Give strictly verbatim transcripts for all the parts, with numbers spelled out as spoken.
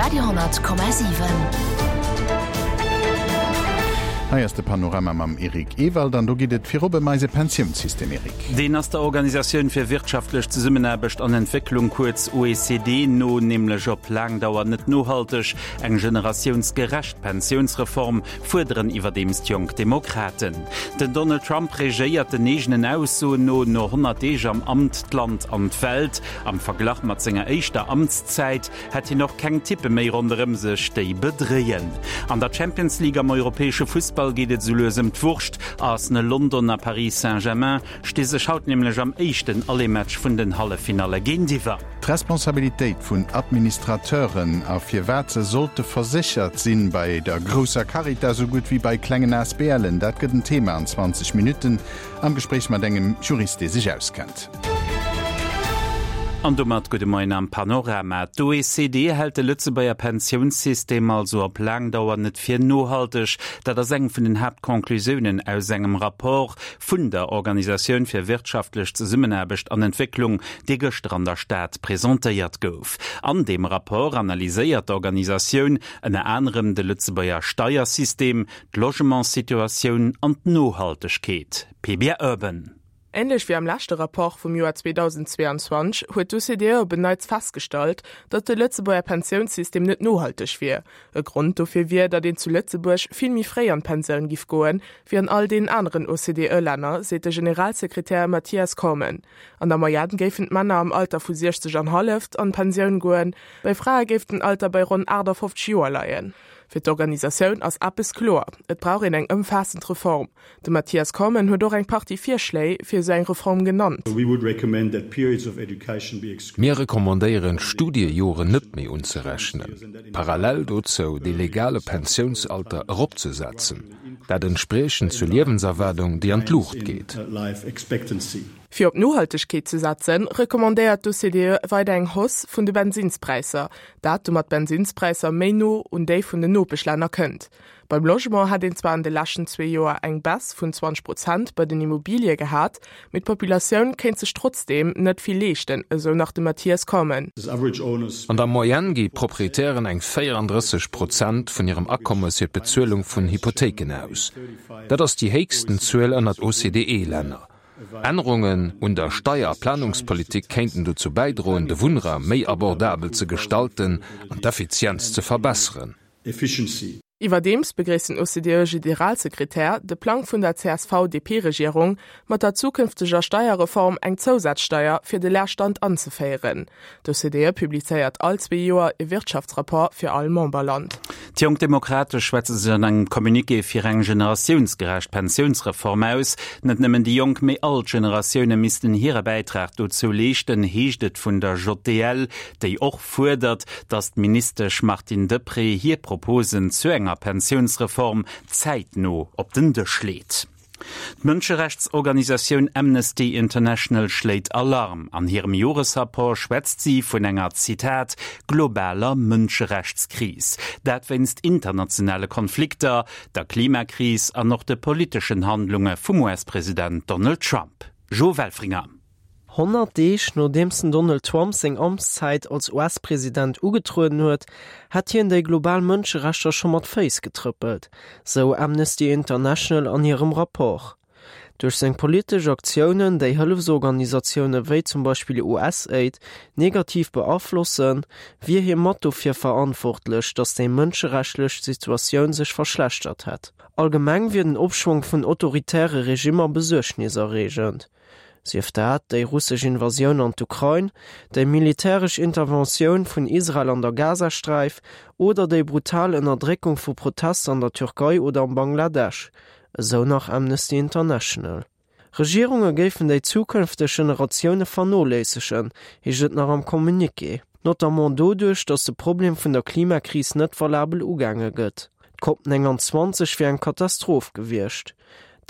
Radio honnert Komma siwen. Hei ass de Panorama mam Eric Ewald an do geet et virop ëm eise Pensiounssystem, Eric. Deen ass der Organisatioun fir wirtschaftlech Zesummenaarbecht an Entwécklung, kuerz O E C D, no nämlech op laang Dauer net nohalteg. Eng generatiounsgerecht Pensiounsreform fuerderen iwwerdeems d'Jonk Demokraten. Den Donald Trump regéiert den eegenen Aussoen no no honnert Deeg am Amt d'Land an d'Welt. Am Verglach mat senger éischter Amtszäit hätt hien och keng Typpe méi ronderëm sech, déi bedréien. An der Champions League am europäesche Fussball geet et sou lues ëm d'Wurscht. Arsenal London a Paris Saint-Germain sti sech haut nämlech am éischten Aller-Match vun den Halleffinalle géintiwwer. D'Responsabilitéit vun Administrateuren a firwat se sollte verséchert sinn, bei der grousser Caritas esou gutt wéi bei klengen A S B Len, dat gëtt en Thema an zwanzeg Minutten am Gespréich mat engem Jurist, dee sech auskennt. An domat gudde Moien am Panorama. D'O E C D hält de Lëtzebuerger Pensiounssystem also op laang Dauer net fir nohalteg. Dat ass eng vun den Haaptconclusiounen aus engem Rapport vun der Organisatioun fir wirtschaftlech Zesummenaarbecht an Entwécklung, dee gëschter an der Stad presentéiert gouf. An deem Rapport analyséiert d'Organisatioun ënner anerem de Lëtzebuerger Steiersystem, d'Logementssituatioun an d'Nohaltegkeet. P B R Urban. Änlech wéi am leschte Rapport vum Joer zweedausendzweeanzwanzeg huet d'O C D E op en Neits festgestallt, datt de Lëtzebuerger Pensiounssystem net nohalteg wier. E Grond dofir wier, datt een zu Lëtzebuerg vill méi fréi an d'Pensioun giff goen, wéi an all den aneren O C D E-Länner, seet de Generalsekretär Mathias Cormann. An der Moyenne géifen d'Männer am Alter vu siechzeg an hallef an d'Pensioun goen, bei Frae géif den Alter bei ronn aachtafofzeg Joer leien. Fir d'Organisatioun ass eppes kloer: Et brauch een eng ëmfaassend Reform. De Mathias Cormann huet och eng Partie Virschléi fir sou eng Reform genannt. Mir recommandéieren Studiejoren net méi unzerechnen. Parallel dozou de legale Pensiounsalter eropzesetzen, dat entspriechend zur Liewenserwaardung, déi an d'Luucht geet. Fir op Nohaltegkeet ze setzen, recommandéiert d'O C D E weider eng Hausse vun de Bensinnspräisser, dat domat d'Bensinnspräisser méi no un déi vun den Nopeschlänner kënnt. Beim Logement hätt een zwar an de leschten zwee Joer eng Baisse vun zwanzeg Prozent bei den Immobilie gehat, mee d'Populatioun kéint sech trotzdeem net vill leeschten, esou nach de Mathias Cormann. An der Moyenne gi Proprietären eng véierandrësseg Prozent vun hirem Akommes fir d'Bezuelung vun Hypothéiken aus. Dat ass déi héchsten Zuel ënnert O C D E-Länner. Ännerungen un der Steier- a Planungspolitik kéinten dozou bäidroen, de Wunnraum méi abordabel ze gestalten an d'Effizienz ze verbesseren. Iwwerdeems begréisst den O C D E-Generalsekretär de Plang vun der C S V-D P-Regierung, mat der zukünfteger Steierreform eng Zousazsteier fir de Leerstand anzeféieren. D'O C D E publizéiert all zwee Joer e Wirtschaftsrapport fir all Memberland. D'Jonk Demokrate schwätze sech an engem Communiqué fir eng generatiounsgerecht Pensiounsreform aus. Net nëmmen déi Jonk, mee all Generatioune missten hire Bäitrag dozou leeschten, heescht et vun der J D L, déi och fuerdert, datt d'Ministesch Martine Deprez hir Proposen zu enger Pensiounsreform zäitno op den Dësch leet. D'Mënscherechtsorganisatioun Amnesty International schléit Alarm. An hirem Joresrapport schwätzt si vun enger, Zitat, globaler Mënscherechtskris. Dat wéinst internationale Konflikter, der Klimakris an och de politeschen Handlunge vum U S-President Donald Trump. Jo Welfringer. Honnert Deeg nodeems den Donald Trump seng Amtszäit als U S-President ugetrueden huet, hätt hien déi global Mënscherechter scho mat Féiss getrëppelt, sou Amnesty International an hirem Rapport. Duerch seng politesch Aktiounen, déi Hëllefsorganisatioune wéi zum Beispill U S Aid negativ beaflossen, wier hie mat dofir verantwortlech, datt déi mënscherechtslech Situatioun sech verschlechtert hätt. Allgemeng wier den Opschwong vun autoritäre Regimmer besuergniserreegend. Sief dat déi russesch Invasioun an d'Ukrain, déi militäresch Interventioun vun Israel an der Gazasträif oder déi brutal Ënnerdréckung vu Protester an der Türkei oder am Bangladesch, esou nach Amnesty International. Regierunge géifen déi zukünfteg Generatioune vernoléissegen, heescht et nach am Communiqué. Notamment doduerch, datt de Problem vun der Klimakris net valabel ugaange gëtt. D'Cop neunundzwanzeg wier eng Katastroph gewiescht.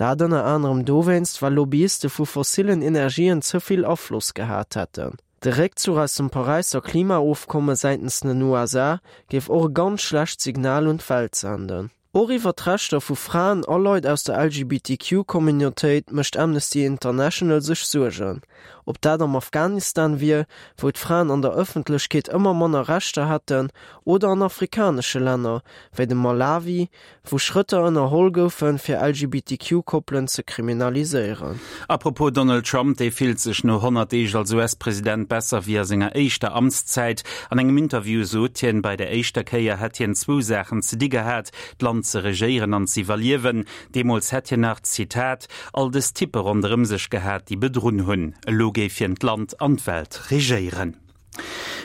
Dat ënner anerem dowéinst, well Lobbyiste vu fossillen Energien ze vill Afloss gehat hätten. De Réckzuch aus dem Paräisser Klimaofkomme säitens den U S A géif och e ganz schlecht Signal un d'Welt senden. Och iwwer d'Rechter vu Fraen a Leit aus der LGBTQ-Communautéit mécht Amnesty International sech Suergen. Ob dat am Afghanistan wier, wou d'Fraen an der Ëffentlechkeet ëmmer manner Rechter hätten, oder an afrikanesche Länner, wéi dem Malawi, wou Schrëtter ënnerholl goufen, fir LGBTQ-Koppelen ze kriminaliséieren. Apropos Donald Trump, dee fillt sech no honnert Deeg als US-President besser wéi a senger éischter Amtszäit. An engem Interview sot hien, bei der éischter Kéier hätt hien zwou Saachen ze di gehat, d'Land ze regéieren an ze iwwerliewen. Deemools hätt hien nach, Zitat, all dës Typpe ronderëm sech gehat, déi bedrunn hunn. Elo géif hien d'Land an d'Welt regéieren.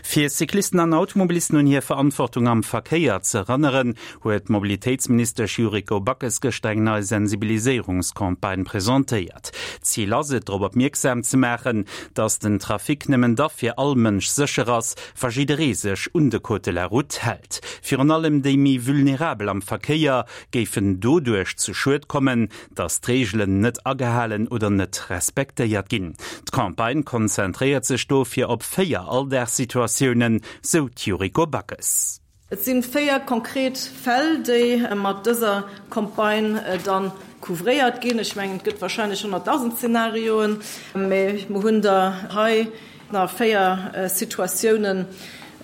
Fir Cyclisten an Automobilisten un hir Verantwortung am Verkéier ze erënneren, huet d'Mobilitéitsministesch Yuriko Backes gëschter eng nei Sensibiliséierungscampagne presentéiert. Zil ass et, drop opmierksam ze maachen, datt den Trafic nëmmen da fir all Mënsch sécher ass, wa jidderee sech un de Code de la Route hält. Virun allem déi méi vulnerabel am Verkéier géifen doduerch zu Schued kommen, datt d'Reegelen net agehalen oder net respektéiert ginn. D'Campagne konzentréiert sech dofir op véier Alldagssituatiounen, sou d'Yuriko Backes. Et si véier konkret Fäll, déi mat dëser Campagne dann couvréiert ginn. Ech mengen, et gëtt warscheinlech honnertdausend Zenarioen, mee mer hunn der hei nach véier Situatiounen,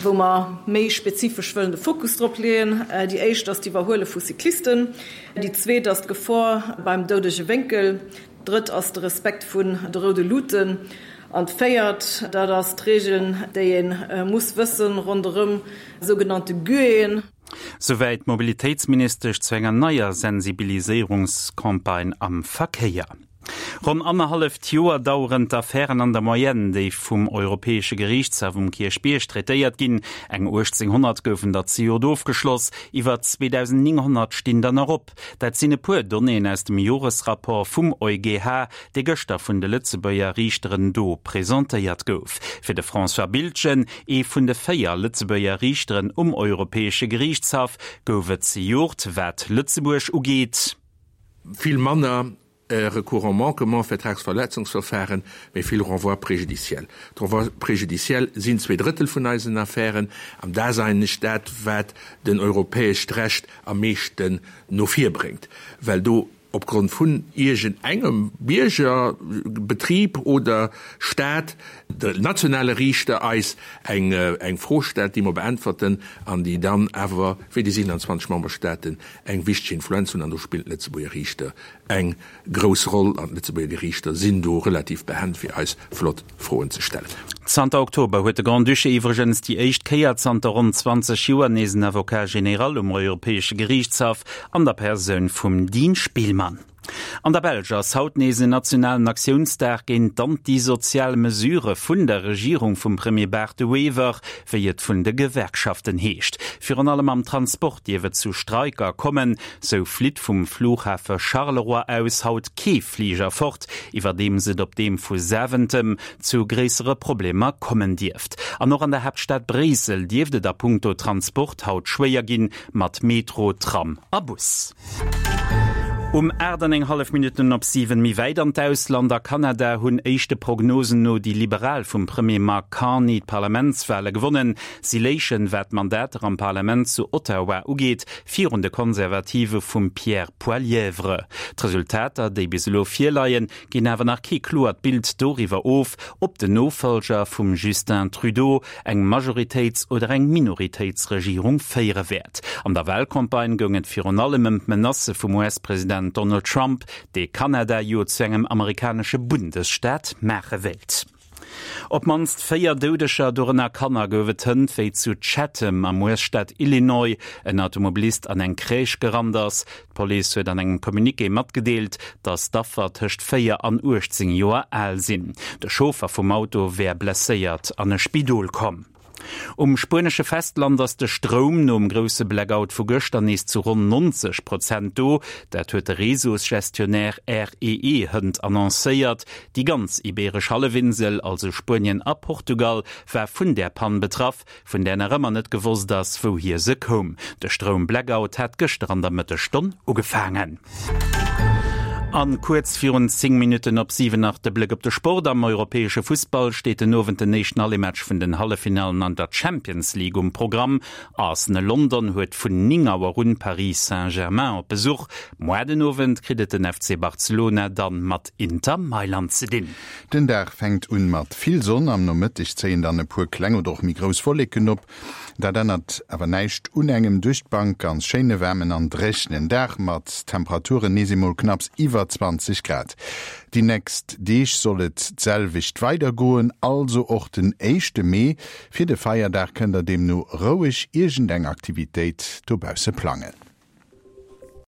wou mer méi spezifesch wëllen de Fokus drop leeën. Déi éischt ass d'Iwwerhuele vu Cyclisten, déi zweet ass d'Gefor beim doudege Wénkel, d'drëtt ass de Respekt vun de roude Luuten an d'véiert, dat ass d'Regeln, déi ee muss wëssen ronderëm sougenannte Guéen. Souwäit d'Mobilitéitsministesch zu enger neier Sensibiliséierungscampagne am Verkéier. Ronn annerhalleft Joer daueren d'Affären an der Moyenne, déi vum Europäesche Geriichtshaff um Kierchbierg traitéiert ginn. Eng uechtzénghonnert goufen der zejoert ofgeschloss, iwwer zweedausendnénghonnert stinn der nach op. Dat sinn e puer Donnéeën aus dem Joresrapport vum EuGH, dee gëschter vun de Lëtzebuerger Riichteren do presentéiert gouf. Fir de François Biltgen, ee vun de véier Lëtzebuerger Riichteren um Europäesche Geriichtshaff, gouf et zejoert, wat Lëtzebuerg ugeet, vill manner Recours en manquement, Vertragsverletzungsverfahren, mee vill Renvois préjudiciels. D'Renvois préjudiciels sinn zwee Drëttel vun eisen Affären, an dat ass eigentlech dat, wat den europäescht Recht am meeschten no vir bréngt, well do opgrond vun iergend engem Bierger, Betrib oder Staat de nationale Riichter eis eng eng Fro stellt, déi mer beäntwerten an déi dann awer fir déi siewenundzwanzeg Memberstaaten eng wichteg Influenz hunn. An do spillen d'Lëtzebuerger Riichter eng grouss Roll an d'Lëtzebuerger Geriichter sinn do relativ behend, fir eis flott Froen ze stellen. Zanter Oktober huet de Grand-Duché iwwregens déi éischt Kéier zanter ronn zwanzeg Joer nees en Avocat général um Europäesche Geriichtshaff an der Persoun vum Dean Spielmann. An der Belsch ass haut nees en nationalen Aktiounsdag géint d'antisozial Mesurë vun der Regierung vum Premier Bart De Wever, wéi et vun de Gewerkschaften heescht. Virun allem am Transport dierf et zu Streiker kommen. Sou flitt vum Flughafe Charleroi aus haut kee Fliger fort, iwwerdeems et op deem vu Zaventem zu gréissere Problemer kommen dierft. An och an der Haaptstad Bréissel dierft et a punkto Transport haut schwéier ginn, mat Metro, Tram a Bus. Um aacht an eng hallef Minutten op siwen. Méi wäit an d'Ausland, A Kanada hunn éischte Prognosen no déi Liberal vum Premier Mark Carney d'Parlamentswale gewonnen. Si léichen, wat d'Mandater am Parlament zu Ottawa ugeet, virun de Konservative vum Pierre Poilievre. D'Resultater, déi bis elo virleien, ginn awer nach kee kloert Bild doriwwer of, ob den Nofollger vum Justin Trudeau eng Majoritéits oder eng Minoritéitsregierung féiere wäert. An der Walcampagne goung et virun allem ëm d'Menacë vum U S-President Donald Trump, dee Kanada jo zu engem amerikanesche Bundesstaat maache wéilt. Op d'mannst véier Doudeger, dorënner Kanner, gouf et hënt, wéi zu Chatham am U S-Staat Illinois en Automobilist an eng Crèche gerannt ass. D'Police huet an engem Communiqué matgedeelt, datt d'Affer tëscht véier an uechtzéng Joer al sinn. De Chauffer vum Auto wär blesséiert an e Spidol komm. Um spuenesche Festland ass de Stroum nom grousse Blackout vu gëschter nees zu ronn neunzeg Prozent do. Dat huet de Réseausgestionnaire R E E hënt annoncéiert. Déi ganz Ibeeresch Hallefinsel, also Spuenien a Portugal, war vun där Pann betraff, vun där nach ëmmer net gewosst ass, wouhier se koum. De Stroum-Blackout hat gëschter an der Mëttesstonn ugefaangen. An kuerz virun zéng Minutten op siwen nach de Bléck op de Sport. Am europäesche Fussball steet den Owend den éischten Aller-Match vun den Halleffinallen an der Champions League um Programm. Arsenal London huet vun néng Auer un Paris Saint-Germain op Besuch. Muer den Owend kritt et den F C Barcelona dann mat Inter Mailand ze dinn. Den Dag fänkt un mat vill Sonn, am Nomëtteg zéien dann e puer kleng oder och méi grouss Wolleken op. Dat ännert awer näischt un engem duerch d'Bank ganz schéine waarmen an dréchenen Dag mat Temperaturen nees emol knapps iwwer zwanzeg Grad. Déi nächst Deeg soll et d'selwecht weidergoen, also och den éischte Mee. Fir de Feierdag kënnt der deemno roueg iergendeng Aktivitéit dobausse plangen.